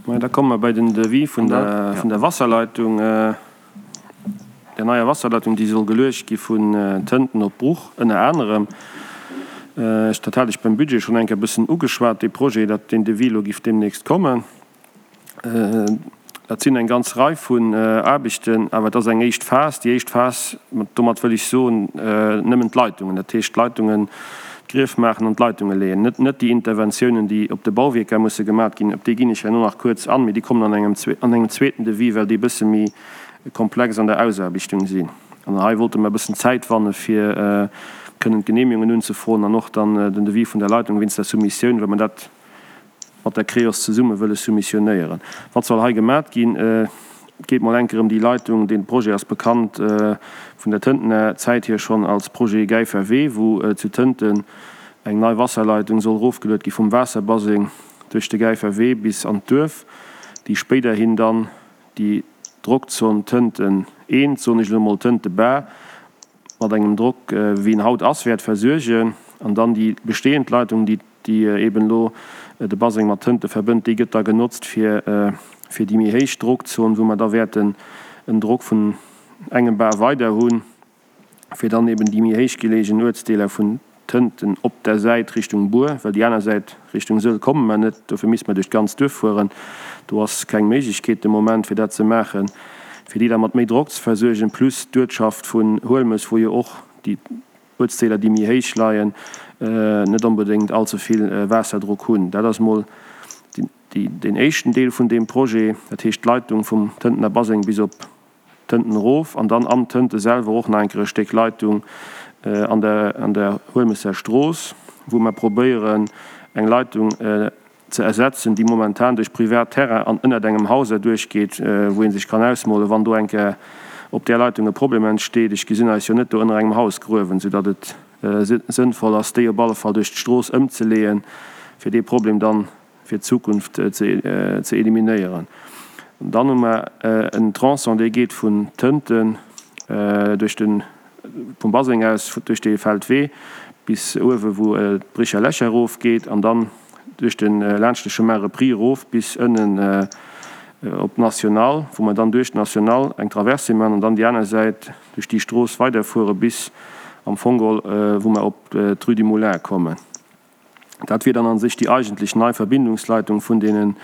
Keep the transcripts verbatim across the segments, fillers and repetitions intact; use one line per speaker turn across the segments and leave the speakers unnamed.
Mä da komme mer bei den Devis vun der, vun der Wasserleitung, der neier Wasserleitung, déi soll geluecht gi vun Tënten op Bruch ënner anerem. Ech, dat hat ech beim Budget schonn eng Kéier e bëssen ugeschwat, dee Projet, datt deen Devis elo giff deemnächst kommen. Dat sinn eng ganz Rei vun Aarbechten, awer et ass eng éischt Phas. Déi éischt Phas, domat wëll ech soen, nëmmen d'Leitungen, dat heescht d'Leitungen, d'Grief maachen an d'Leitunge leeën, net net déi Interventiounen, déi op de Bauwierker musse gemat ginn. Op déi ginn ech herno nach kuerz an, mee déi kommen an engem an engem zweeten Devis, well déi e bësse méi komplex an der Ausaarbechtung sinn. An hei wollte mer e bëssen Zäit wanne fir kënnen d'Genehmigungen unzefroen an och dann den Devis vun der Leitung wéinst der Soumissioun, well mer dat mat der Creos zesumme wëlle soumissionéieren. Wat soll hei gemat ginn? Et geet mol enker ëm déi Leitung, dee Projet ass bekannt vun der Tëntener Zäit hier schonn als Projet Gäifer Wee, wou zu Tënten eng nei Wasserleitung soll erofgeluet gi vum Waasserbaseng duerch de Gäifer Wee bis an d'Duerf, déi spéiderhin dann déi Drockzon Tënten eent, soen ech elo mol Tënte Bar, mat engem Drock wéi en haut ass, wäert versuergen. An dann déi bestehend Leitung, déi déi eben elo de Baseng mat Tënte verbënnt, déi gëtt da genotzt fir fir déi méi héich Drockzon, wou mer da wäerten en Drock vun engem Bar weider hunn, fir dann eben déi méi héich geleegen Uertsdeeler vun Tënten op der Säit Richtung Bur, well déi aner Säit Richtung Sëll komme mer net, dofir misste mer duerch d'ganzt Duerf fueren, do ass keng Méiglechkeet de Moment fir dat ze maachen, fir déi da mat méi Drock ze versuergen, plus d'Uertschaft vun Huelmes, wou jo och déi Uertsdeeler, déi méi héich leien, net onbedéngt all ze vill Waasserdrock hunn. Dat ass mol deen éischten Deel vun deem Projet, dat heescht d'Leitung vum Tëntener Baseng bis op Tënten erof an dann am Tënte selwer och nach eng Kéier e Stéck Leitung an der an der Huelmesser Strooss, wou mer probéieren eng Leitung ze ersetzen, déi momentan duerch privat Terrain an ënnert engem Haus erduerchgeet, wou ee sech kann ausmolen, wann do eng Kéier op där Leitung e Problem entsteet. Ech gesinn eis jo net do ënner engem Haus gruewen, soudatt et sënnvoll ass, déi op alle Fall duerch d'Strooss ëmzeleeën, fir dee Problem dann fir d'Zukunft ze eliminéieren. Dann hu mer en Tronçon, dee geet vun Tënten duerch de, vum Baseng aus duerch dee Feldwee bis uewe wou d'Bricher Lächer erofgeet an dann duerch de, laanscht de Chemin repris erof bis ënnen op d'Nationale, wou mer dann duerch d'Nationale eng Traversée maachen an dann déi aner Säit duerch déi Strooss weiderfuere bis am Fong geholl wou mer op d'Rue du Moulin kommen. Dat wier dann a sech déi eigentlech nei Verbindungsleitung vun deenen,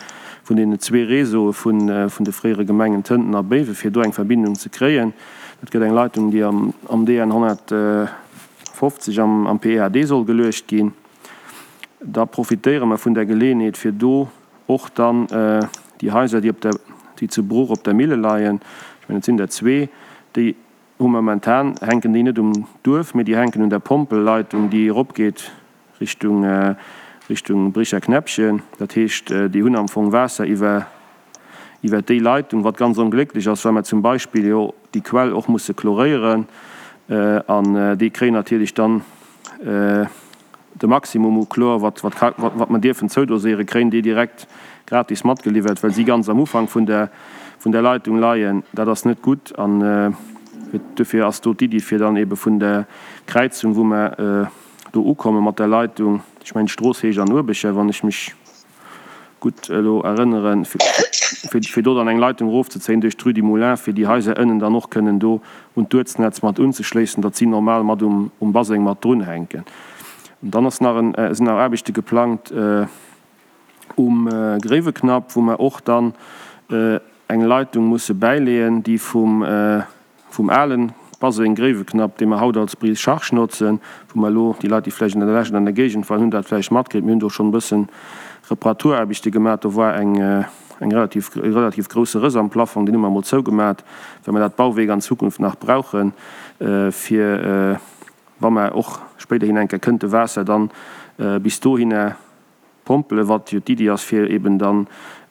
vun deenen zwee Réseaue vun, vun de fréiere Gemengen Tënten a Béiwen, fir do eng Verbindung ze kréien. Dat gëtt eng Leitung, déi am, am D N honnertfofzeg am, am P E H D soll geluecht ginn. Da profitéiere mer vun der Geleeënheet, fir do och dann déi Haiser, déi op der, déi zu Bruch op der Mille leien, ech mengen, et sinn der zwee, déi hu momentan, hänken déi net um Duerf, mee déi hänken un der Pompelleitung, déi eropgeet Richtung, Richtung Bricher Knäppchen. Dat heescht, déi hunn am Fong Waasser iwwer, iwwer déi Leitung, wat ganz onglécklech ass, well mer zum Beispill jo déi Quell och musse chloréieren. An déi kréien natierlech dann de Maximum u Chlor, wat, wat, wat, wat mer dierfen zoudoséieren, kréien déi direkt gratis matgeliwwert, well si ganz am Ufank vun der, vun der Leitung leien. Dat ass net gutt. An dofir ass do d'Iddi, fir dann ebe vun der Kräizung, wou mer do ukomme mat der Leitung, ech mengen d'Strooss heescht An Uerbecher, wann ech mech gutt elo erënneren, fir, fir do dann eng Leitung erofzezéien duerch d'Rue du Moulin, fir déi Haiser ënnen dann och kënnen do un d'Uertsnetz mat unzeschléissen, datt si normal mat um, um Baseng mat drunhänken. An dann ass nach en, sinn nach Aarbechte geplangt um Gréiweknapp, wou mer och dann eng Leitung musse bäileeën, déi vum, vum alen Baseng Gréiweknapp, dee mer haut als Brise charge notzen, wou mer elo, déi Leit, déi vläicht an der Lescht an der Géigend waren, hunn dat vläicht matkritt, mir hunn do schonn e bëssen Reparaturaarbechte gemaach, do war eng, eng relativ, e relativ grousse Rëss am Plafong, deen hu mer emol zougemat, well mer dat Bauwierk an Zukunft nach brauchen, fir, wa mer och spéiderhin eng Kéier kënnte Waasser dann bis dohinner pompelen, wat jo d'Iddi ass, fir eben dann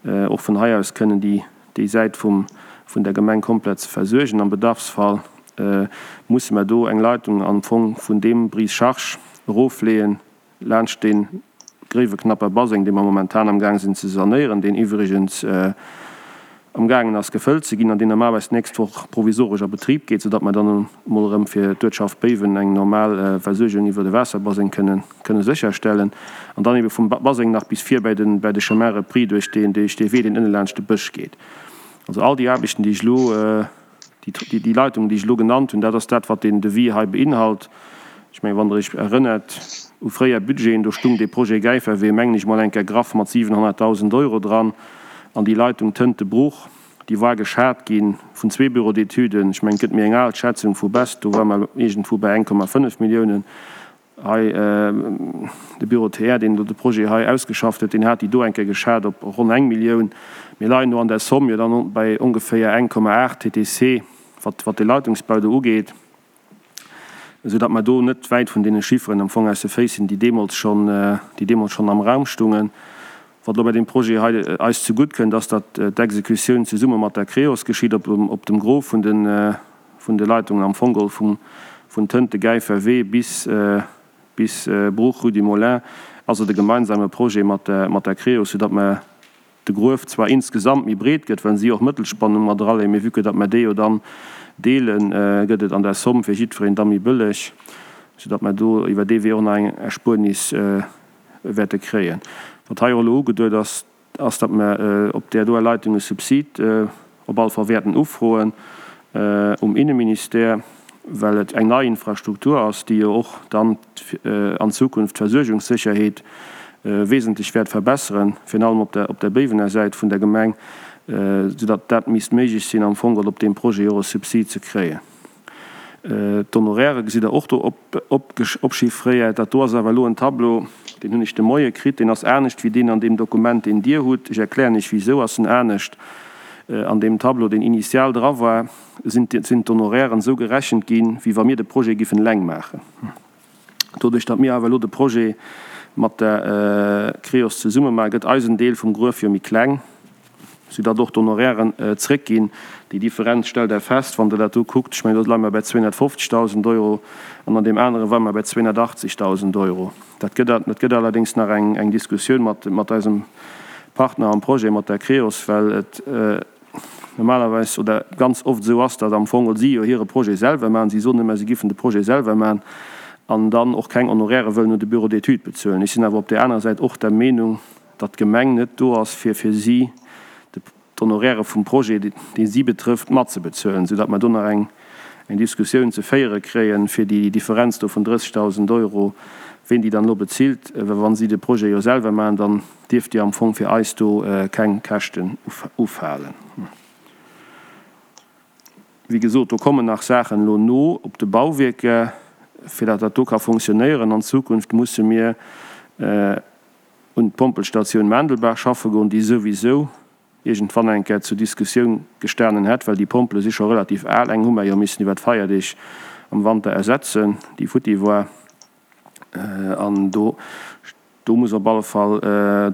och vun hei aus kënnen déi, déi Säit vum, vun der Gemeng komplett ze versuergen. Am Bedarfsfall musse mer do eng Leitung am Fong vun deem Brise-charge erofleeën, laanscht dee Gréiweknapper Baseng, dee mer momentan amgaang sinn ze sanéieren, deen iwwregens amgaangen ass gefëllt ze ginn an deen normalerweis d'nächst Woch provisoresch a Betrib geet, soudatt mer dann emol erëm fir d'Uertschaft Béiwen eng normal Versuergung iwwer de Waasserbaseng kënnen kënne sécherstellen. An dann ebe vum Baseng nach bis vir bäi de bäi de Chemin repris duerch deen duerch dee Wee, deen ënne laanscht de Bësch geet. Also all déi Aarbechten, déi ech elo, déi déi Leitungen, déi ech elo genannt hunn, dat ass dat, wat deen Devis hei beinhalt. Ech mengen, wann Der Iech erënnert u fréier Budgeten, do stung dee Projet Gäiferwee, mengen ech mol eng Kéier graff mat siwenhonnertdausend Euro dran. An déi Leitung Tëntebruch, déi war geschat gi vun zwee Bureaux d'études. Ech mengen, et gëtt méi eng al Schätzung vu Best, do ware mer iergendwou bei eng Komma fënnef Milliounen. Hei de Bureau T R, deen do de Projet hei ausgeschafft huet, deen hat déi do eng Kéier geschat op ronn eng Millioun. Mir leien do an der Somme jo dann bei ongeféier eng Komma aacht T T C, wat wat de Leitungsbau do ugeet, esou datt mer do net wäit vun deene Chifferen am Fong aus de Féiss sinn, déi deemools schonn, déi deemools schonn am Raum stungen. Wat elo bei deem Projet hei eis zegutt kënnt, ass, datt d'Exekutioun zesumme mat der Creos geschitt op op dem Gros vun de vun de Leitungen, am Fong geholl vum vun Tënte-Gäifer Wee bis bis Bruch, Rue du Moulin, ass et e gemeinsame Projet mat der mat der Creos, soudatt mer de Gruef zwar insgesamt méi breet gëtt, well si och Mëttelspannung mat eraleeën, mee vue que datt mer déi jo dann deelen, gëtt et an der Somme fir jiddwereen da méi bëlleg, soudatt mer do iwwer dee Wee och nach eng Erspuernis wäerte kréien. Wat hei och elo ugeduet ass, ass, datt mer op där doer Leitung e Subsid op alle Fall wäerten ufroen um Inneministère, well et eng nei Infrastruktur ass, déi jo och dann an Zukunft d'Versuergungssécherheet wesentlech wäert verbesseren, virun allem op der op der Béiwener Säit vun der Gemeng, soudatt dat misst méiglech sinn, am Fong geholl op deem Projet och e Subsid ze kréien. D'Honorairë gesitt Der och do opchiffréiert. Dat do ass awer elo en Tableau, deen hunn ech de Moie kritt, deen ass anescht wéi deen an deem Dokument, deen Dir hutt. Ech erklären Iech, wisou ass en anescht. An deem Tableau, deen initial dra war, sinn d'Honorairen esou gerechent ginn, wéi wa mir de Projet giffen eleng maachen. Doduerch, datt mir awer elo de Projet mat der Creos zesumme maachen, gëtt eisen Deel vum Gruef jo méi kleng, soudatt och d'Honorairen zréckginn. Déi Differenz stellt Der fest, wann Der dat do kuckt. Ech mengen, do leie mer bei zweehonnertfofzegdausend Euro an an deem anere ware mer bei zweehonnertachtzegdausend Euro. Dat gëtt, dat gëtt allerdéngs nach eng, eng Diskussioun mat, mat eisem Partner am Projet, mat der Creos, well et normalerweis oder ganz oft esou ass, datt am Fong si jo hire Projet selwer maachen. Si soen ëmmer, si giffen de Projet selwer maachen an dann och keng Honoraire wëllen un de Bureau d'études bezuelen. Ech sinn awer op där anerer Säit och der Meenung, datt d'Gemeng net do ass, fir fir si d'Honoraire vum Projet, dee si betrëfft, matzebezuelen, soudatt mer do nach eng Diskussioun ze féiere kréien, fir déi Differenz do vun drëssegdausend Euro, ween déi dann elo bezilt. Well wa si de Projet jo selwer maachen, dann dierft déi am Fong fir eis do keng Käschten ufalen. Wéi gesot, do kommen nach Saachen elo no op de Bauwierker. Fir datt dat do ka fonctionnéieren an Zukunft, musse mir un d'Pompelstatioun Maandelbaach schaffe goen, déi souwisou iergendwann eng Kéier zur Diskussioun gestanen hätt, well déi Pompele si scho relativ al. Eng hu mer jo missen iwwer d'Feierdeeg am Wanter ersetzen, déi futti war. An do, do muss op alle Fall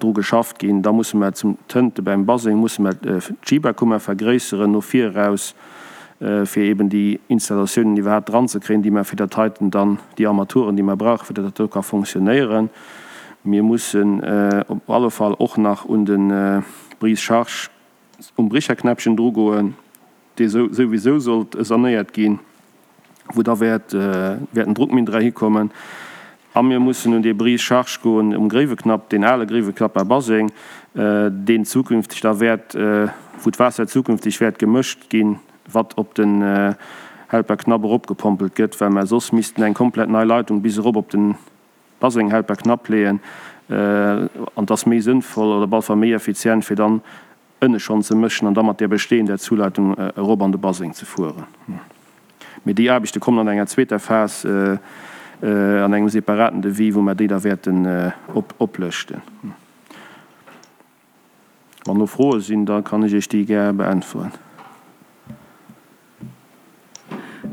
dru geschafft ginn. Da musse mer zum Tënte beim Baseng musse mer d'Schiberkummer vergréisseren no vir eraus, fir eben déi Installatiounen iwwerhaapt dranzekréien, déi mer fir dat heiten dann, déi Armaturen, déi mer brauchen, fir datt dat do ka fonctionnéieren. Mir mussen op alle Fall och nach un de Brise-charge um Bricherknäppchen drugoen, dee souwisou sollt sanéiert ginn, wou da wäert wäerten Druckminn dra hikommen. A mir mussen un dee Brise-charge goen um Gréiweknapp, deen ale Gréiweknapper Baseng, deen zukünfteg da wäert, wou d'Waasser zukünfteg wäert gemëscht ginn, wat op den Helperknapp eropgepompelt gëtt, well mer soss missten eng komplett nei Leitung bis erop op den Baseng Helperknapp leeën. An et ass méi sënnvoll oder op alle Fall méi effizient, fir dann ënne schonn ze mëschen an da mat där bestehender Zuleitung erop an de Baseng ze fueren. Mee déi Aarbechte kommen an enger zweeter Phas an engem separaten Devis, wou mer déi da wäerten oplëschten. Wann do Froe sinn, da kann ech Iech déi gär beäntweren.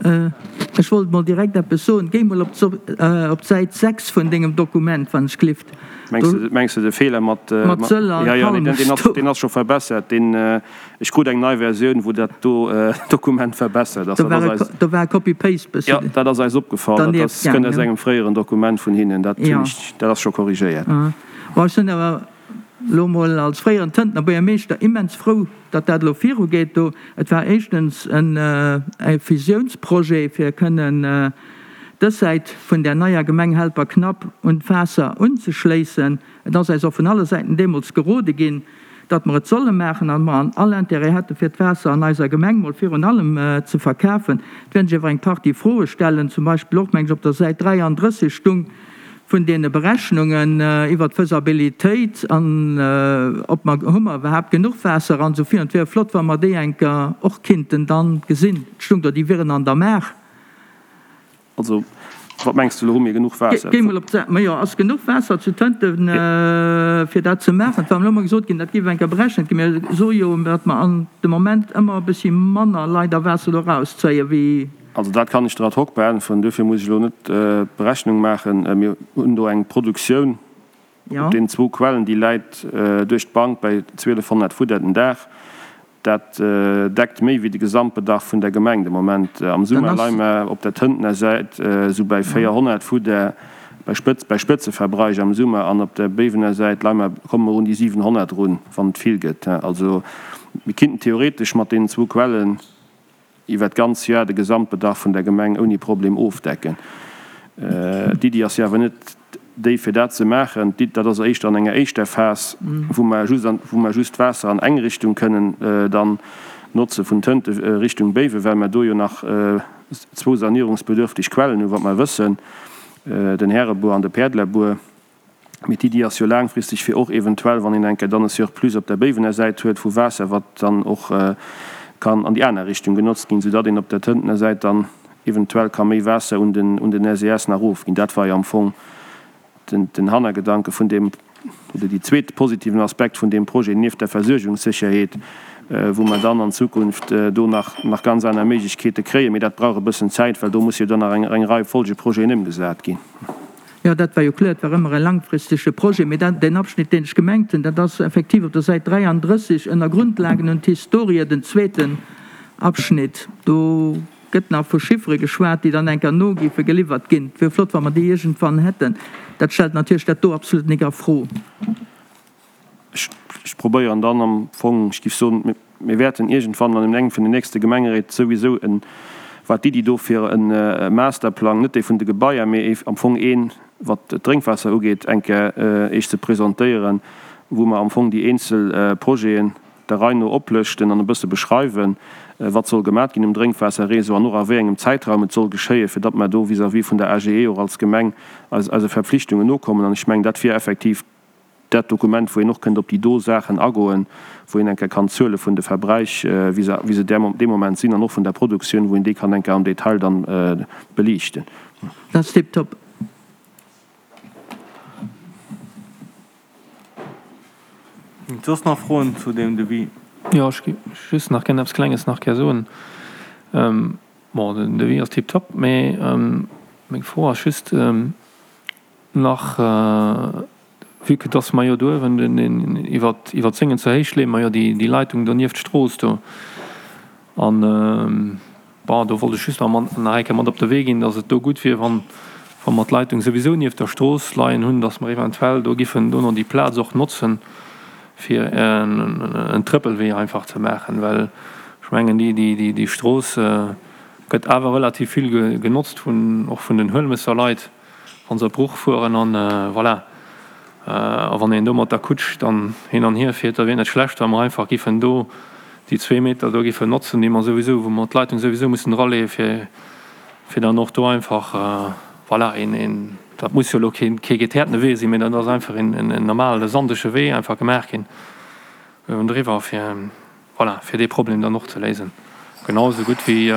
Ech wollt mol direkt eppes soen. Géi mol op d'Säit sechs vun dengem Dokument, wann ech glift.
Mengs de de Feeler mat
Sëll a Palmes
do? Deen ass scho verbessert. Ech krut eng nei Versioun, wou dat do Dokument verbessert ass.
Do war e Copy-Paste bëssi.
Jo, dat ass eis opgefall. Dat kënnt aus engem fréieren Dokument vun hinnen. Dat ass scho korrigéiert.
Bon, ech hunn awer elo mol als fréieren Tëntener Buergermeeschter immens frou, datt dat elo virugeet do. Et war éischtens en e Fusiounsprojet, fir kënnen dës Säit vun där neier Gemeng Helperknapp un d'Waasser unzeschléissen. Et ass eis och vun alle Säiten deemools gerode ginn, datt mer et solle maachen an mer an all Intérêt hätte fir d'Waasser an eiser Gemeng mol virun allem ze verkafen. Et wäerten sech awer eng Partie Froe stellen, zum Beispill och, meng ech, op der Säit dräiandrësseg stung vun deene Berechnungen iwwert d'Faisabilitéit an ob mer, hu mer iwwerhaapt genuch Waasser an esou virun. Et wier flott, wa mer déi eng Kéier och kinnten dann gesinn. Et stung do, déi wieren an der Maach.
Also, wat mengs de elo, hu mir genuch Waasser?
Géi mol op d'Säit. Majo, ass genuch Waasser zu Tënten, fir dat ze maachen? Et war elo emol gesot ginn, dat géif eng Kéier berechent ginn. Mir soe jo, datt mer an de Moment ëmmer e bëssi manner leider Waasser do erauszéien, wéi.
Also dat kann ech der ad hoc beäntweren. Duerfir muss ech elo net d'Berechnung maachen. Mir hunn do eng Produktioun op deenen zwou Quellen, déi läit duerch d'Bank bäi zwielefhonnert Fudder den Dag. Dat deckt méi wéi de Gesamtbedarf vun der Gemeng de Moment. Am Summer leie mer op der Tëntener Säit esou bäi véierhonnert Fudder bei Spëtz, bei Spëtzeverbräuch am Summer an op der Béiwener Säit leie mer, komme mer un déi siwenhonnert erun, wann et vill gëtt. Also mir kinnten theoretesch mat deenen zwou Quellen iwwer d'ganz Joer de Gesamtbedarf vun der Gemeng ouni Problem ofdecken. D'Iddi ass jo awer net déi, fir dat ze maachen. Dat ass éischter an enger éischter Phas, wou mer just, wou mer just d'Waasser an eng Richtung kënnen dann notze vun Tënte Richtung Béiwen, well mer do jo nach zwou sanierungsbedürftig Quellen hunn, wat mer wëssen, den Härebuer an de Päerdlerbuer. Mee d'Iddi ass jo laangfristeg, fir och eventuell, wann een eng Kéier dann e Surplus op der Béiwener Säit huet vu Waasser, wat dann och kann an déi aner Richtung genotzt ginn, soudatt een op der Tëntener Säit dann eventuell ka méi Waasser un den un den S E S nach ofginn. Dat war jo am Fong den den Hannergedanke vun deem, oder déi zweet positiven Aspekt vun deem Projet nieft der Versuergungssécherheet, wou mer dann an Zukunft do nach nach ganz aner Méiglechkeete kréien. Mee dat brauch e bëssen Zäit, well do muss jo dann nach eng eng Rei Folgeprojeten ëmgesat ginn.
Jo, dat war jo kloer, et war ëmmer e langfristege Projet. Mee dat, deen Abschnitt, deen ech gemengt hunn, dat ass effektiv op der Säit dräiandrësseg ënner Grundlagen und Historie, den zweeten Abschnitt. Do gëtt nach vu Chiffere geschwat, déi dann eng Kéier no géife geliwwert ginn. Et wier flott, wa mer déi iergendwann hätten. Dat stellt natierlech dat do absolut nik a Fro.
Ech probéieren dann am Fong, ech géif soen, mir wäerten iergendwann an engem vun den nächste Gemengeréit souwisou en, wat d'Iddi do fir e Masterplang, net dee vun de Gebaier, mee am Fong een, wat d'Drénkwaasser ugeet, eng Kéier Iech ze presentéieren, wou mer am Fong déi eenzel Projeten der Rei no oplëschten an e bësse beschreiwen, wat soll gemat ginn um Drénkwaasserréseau an och a wéi engem Zäitraum et soll geschéien, fir datt mer do vis-à-vis vun der A G E och als Gemeng eis eise Verpflichtungen nokommen. An ech mengen, dat wier effektiv dat Dokument, wou een och kënnt op déi do Saachen agoen, wou een eng Kéier kann d'Zuele vun de Verbräich, wéi se wéi se dee Moment sinn, an och vun der Produktioun, wou een déi kann eng Kéier am Detail dann beliichten.
Dat ass tiptop.
Soss nach Froen zu deem Devis?
Jo, ech géif just nach gär eppes Klenges nach gär soen. Bon, den Devis ass tiptop, mee meng Fro ass just nach, vue que dass mer jo do uewen den iwwert iwwert Séngen zur Héicht leeë mer jo déi déi Leitung do nieft d'Strooss do. An bon, do wollt ech just nach mat nach eng Kéier mat op de Wee ginn, dass et do gutt wier, wann wa mer d'Leitung souwisou nieft der Strooss leien hunn, dass mer eventuell do giffen dono déi Plaz och notzen, fir en Trëppelwee einfach ze maachen, well ech mengen, déi déi déi Strooss gëtt awer relativ vill genotzt vun och vun den Huelmësser Leit, wa se op Bruch fueren an voilà. A wann een do mat der Kutsch dann hin an hier fiert, da wier et net schlecht, wa mer einfach giffen do déi zwee Meter do giffen notzen, déi mer souwisou, wou mer d'Leitung souwisou mussen eraleeë fir fir dann och do einfach voilà een een, dat muss jo elo keen kee geteertene Wee sinn, mee dat ass einfach een en normale sandege Wee einfach gemaach ginn uewendriwwer fir voilà fir dee Problem dann och ze léisen. Genau esou gutt wéi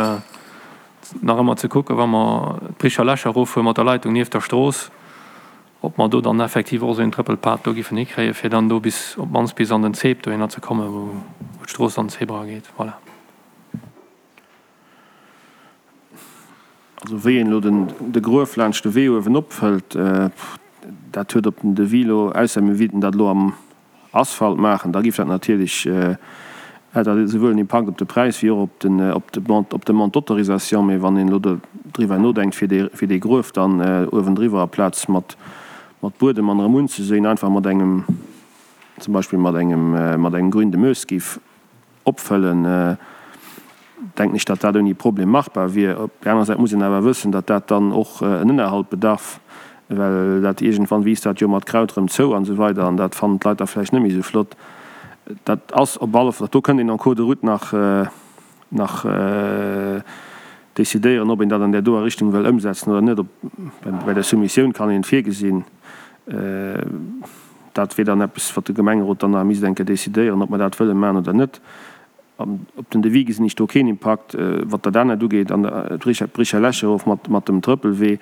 nach ëmmer ze kucken, wa mer d'Bricher Lächer eroffuere mat der Leitung nieft der Strooss, ob mer do dann effektiv och esou een Trëppelpad do giffen hikréien, fir dann do bis op d'mannst bis an den Zeeb dohinner ze kommen, wou d'Strooss an den Zeeb erageet. Voilà.
Also wéi een elo den de Gruef laanscht de Wee uewen opfëllt, dat huet op den Devis elo, ausser mir wéilten dat elo am Asphalt maachen, da géif dat natierlech, hätt dat esouwuel en Impakt op de Präis wéi och op den op de op d'Demande d'autorisation. Mee wann een elo do driwwer nodenkt, fir dee fir dee Gruef dann uewendriwwer aplaz mat mat Buedem an erëm unzeséien, einfach mat engem zum Beispill mat engem, mat engem Grün de Meuse géif opfëllen, denken ech, datt dat ouni Problem machbar wier. Op där anerer Säit muss een awer wëssen, datt dat dann och en Ënnerhalt bedarf, well dat iergendwann wiisst dat jo mat Kraut erëm zou an esou weider an dat fannen d'Leit da vläicht net méi esou flott. Dat ass op alle Fall, do kënnt een en cours de route nach, nach decidéieren, ob een dat an där doer Richtung wëll ëmsetzen oder net. Op, bei der Soumissioun kann een et virgesinn. Dat wier dann eppes, wat de Gemengerot dann nach misst eng Kéier decidéieren, ob mer dat wëlle maachen oder net. Op den Devis gesinn ech do keen Impakt. Wat dat anert ugeet, an d'Bricher Lächerhof mat dem Trëppelwee,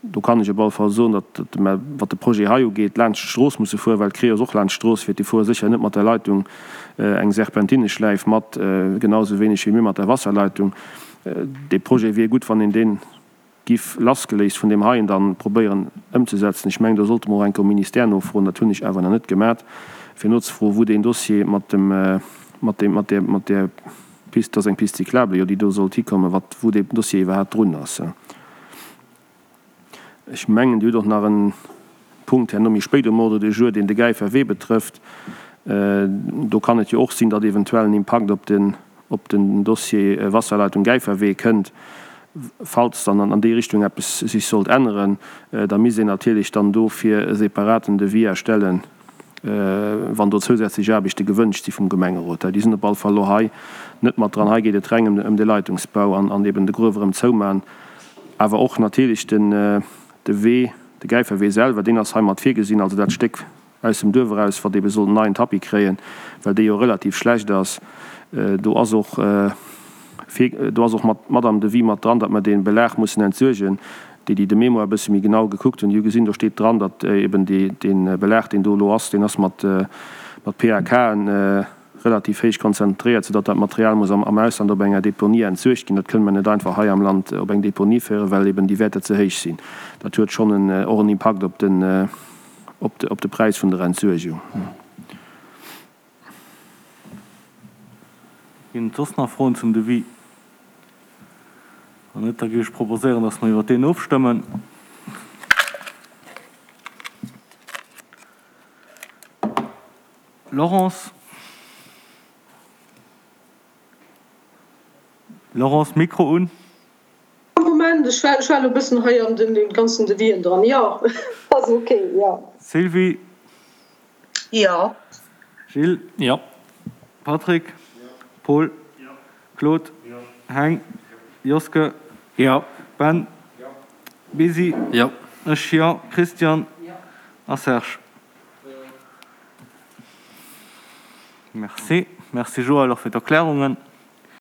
do kann ech op alle Fall soen, datt mer, wat de Projet hei ugeet, laanscht d'Strooss musse fueren, well d'Cré ass och laanscht d'Strooss fiert. Déi fuere sécher net mat der Leitung eng Serpentineschläif mat, genau esou wéineg wéi mir mat der Wasserleitung. Dee Projet wier gutt, wann een dee giff lassgeléist vun deem heien dann probéieren ëmzesetzen. Ech mengen, do sollte mer och eng Kéier um Ministère nofroen, dat hunn ech awer nach net gemat, fir nozefroen, wou deen Dossier mat dem, mat deem, mat där, mat där Piste, dat ass eng Piste cyclable, jo, déi do sollt hikommen, wat, wou dee Dossier iwwerhaapt drun ass. Ech mengen, Dir hutt och nach e Punkt herno méi spéit um Ordre du jour, deen de Gäifer Wee betrëfft. Do kann et jo och sinn, datt eventuell en Impakt op den, op den Dossier Wasserleitung Gäiferwee kënnt. Falls dann an déi Richtung eppes sech sollt änneren, da misst een natierlech dann dofir e separaten Devis erstellen, wann do zousätzlech Aarbechte gewënscht si vum Gemengerot. Déi sinn op alle Fall elo hei net mat dran. Hei geet et reng ëm de Leitungsbau an eben de Gruef erëm zouman, awer och natierlech den de Wee, de Gäiferwee selwer, deen ass hei mat virgesinn, also dat Stéck aus dem Duerf eraus, wat ebe soll en neien Tapis kréien, well dee jo relativ schlecht ass. Do ass och vir, do ass och mat, mat am Devis mat dran, datt mer dee Belag mussen entsuergen. Déi, déi de Mémoire e bësse méi genau gekuckt hunn, déi hu gesinn, do steet dran, datt eben dee, dee Belag, deen do elo ass, deen ass mat, mat PAKen relativ héich konzentréiert, soudatt dat Material muss am, am Ausland op enger Deponie entsuergt ginn. Dat kënne mer net einfach hei am Land op eng Deponie féieren, well eben déi Wäerter ze héich sinn. Dat huet schonn en, och en Impakt op den, op de, op de Präis vun der Entsuergung.
Ginn et soss nach Froen zum Devis? Wann net, da géif ech proposéieren, dass mer iwwert deen ofstëmmen. Laurence? Laurence, Mikro un.
Moment, ech war, ech war elo e bëssen hei an den ganzen Devisen dran. Jo, ass ok, jo.
Sylvie?
Jo.
Gilles?
Jo.
Patrick?
Jo.
Paul?
Jo.
Claude?
Jo.
Heng? Joske?
Jo.
Ben?
Jo.
Bisi?
Jo.
Ech, jo. Christian?
Jo.
A Serge? Merci. Merci Joël och fir d'Erklärungen.